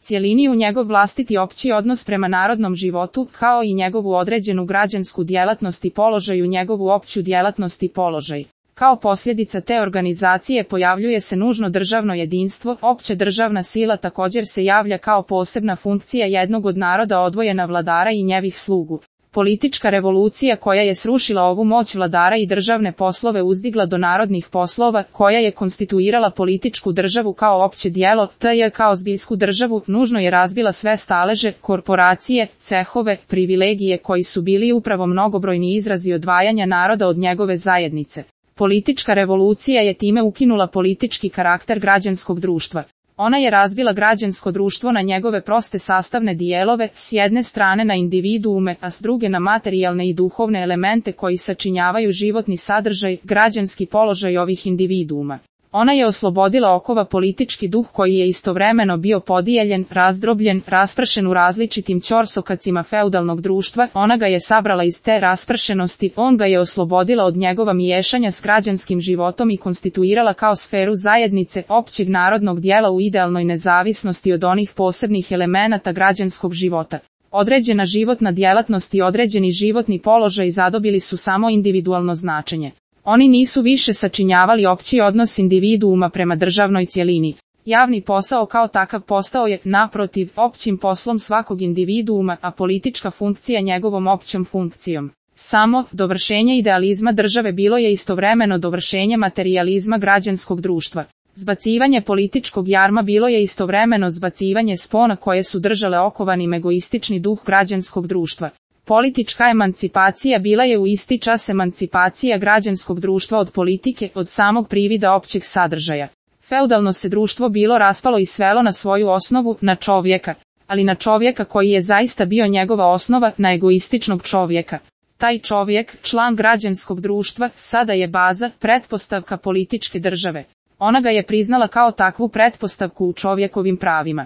cjelini u njegov vlastiti opći odnos prema narodnom životu, kao i njegovu određenu građansku djelatnost i položaj u njegovu opću djelatnost i položaj. Kao posljedica te organizacije pojavljuje se nužno državno jedinstvo, opće državna sila također se javlja kao posebna funkcija jednog od naroda odvojena vladara i njevih slugu. Politička revolucija koja je srušila ovu moć vladara i državne poslove uzdigla do narodnih poslova, koja je konstituirala političku državu kao opće djelo, te kao zbiljsku državu, nužno je razbila sve staleže, korporacije, cehove, privilegije koji su bili upravo mnogobrojni izrazi odvajanja naroda od njegove zajednice. Politička revolucija je time ukinula politički karakter građanskog društva. Ona je razbila građansko društvo na njegove proste sastavne dijelove, s jedne strane na individuume, a s druge na materijalne i duhovne elemente koji sačinjavaju životni sadržaj, građanski položaj ovih individuuma. Ona je oslobodila okova politički duh koji je istovremeno bio podijeljen, razdrobljen, raspršen u različitim ćorsokacima feudalnog društva, ona ga je sabrala iz te raspršenosti, on ga je oslobodila od njegova miješanja s građanskim životom i konstituirala kao sferu zajednice, općeg narodnog dijela u idealnoj nezavisnosti od onih posebnih elemenata građanskog života. Određena životna djelatnost i određeni životni položaj zadobili su samo individualno značenje. Oni nisu više sačinjavali opći odnos individuuma prema državnoj cjelini. Javni posao kao takav postao je, naprotiv, općim poslom svakog individuuma, a politička funkcija njegovom općom funkcijom. Samo dovršenje idealizma države bilo je istovremeno dovršenje materijalizma građanskog društva. Zbacivanje političkog jarma bilo je istovremeno zbacivanje spona koje su držale okovanim egoistični duh građanskog društva. Politička emancipacija bila je u isti čas emancipacija građanskog društva od politike, od samog privida općeg sadržaja. Feudalno se društvo bilo raspalo i svelo na svoju osnovu, na čovjeka, ali na čovjeka koji je zaista bio njegova osnova, na egoističnog čovjeka. Taj čovjek, član građanskog društva, sada je baza, pretpostavka političke države. Ona ga je priznala kao takvu pretpostavku u čovjekovim pravima.